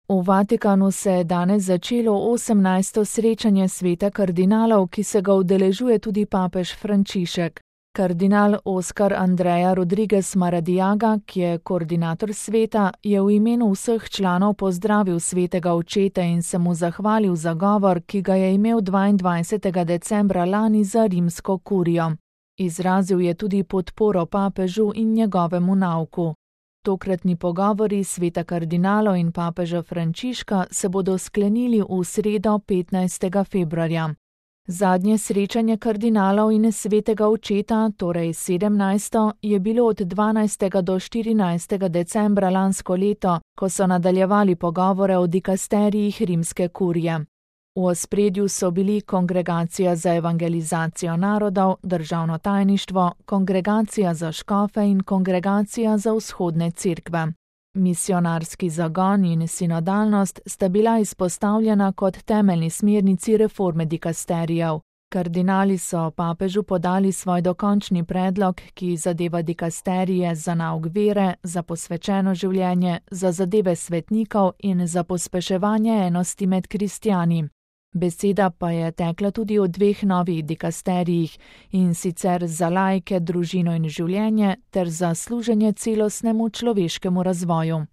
V Vatikanu se je danes začelo 18. srečanje sveta kardinalov, ki se ga udeležuje tudi papež Frančišek. Kardinal Oscar Andrea Rodriguez Maradiaga, ki je koordinator sveta, je v imenu vseh članov pozdravil svetega očeta in se mu zahvalil za govor, ki ga je imel 22. decembra lani za rimsko kurijo. Izrazil je tudi podporo papežu in njegovemu nauku. Tokratni pogovori sveta kardinalov in papeža Frančiška se bodo sklenili v sredo 15. februarja. Zadnje srečanje kardinalov in svetega očeta, torej 17., je bilo od 12. do 14. decembra lansko leto, ko so nadaljevali pogovore o dikasterijih rimske kurije. V ospredju so bili Kongregacija za evangelizacijo narodov, Državno tajništvo, Kongregacija za škofe in Kongregacija za vzhodne cerkve. Misionarski zagon in sinodalnost sta bila izpostavljena kot temeljni smernici reforme dikasterijev. Kardinali so papežu podali svoj dokončni predlog, ki zadeva dikasterije za nauk vere, za posvečeno življenje, za zadeve svetnikov in za pospeševanje enosti med kristjani. Beseda pa je tekla tudi o 2 novih dikasterijih, in sicer za laike, družino in življenje ter za služenje celostnemu človeškemu razvoju.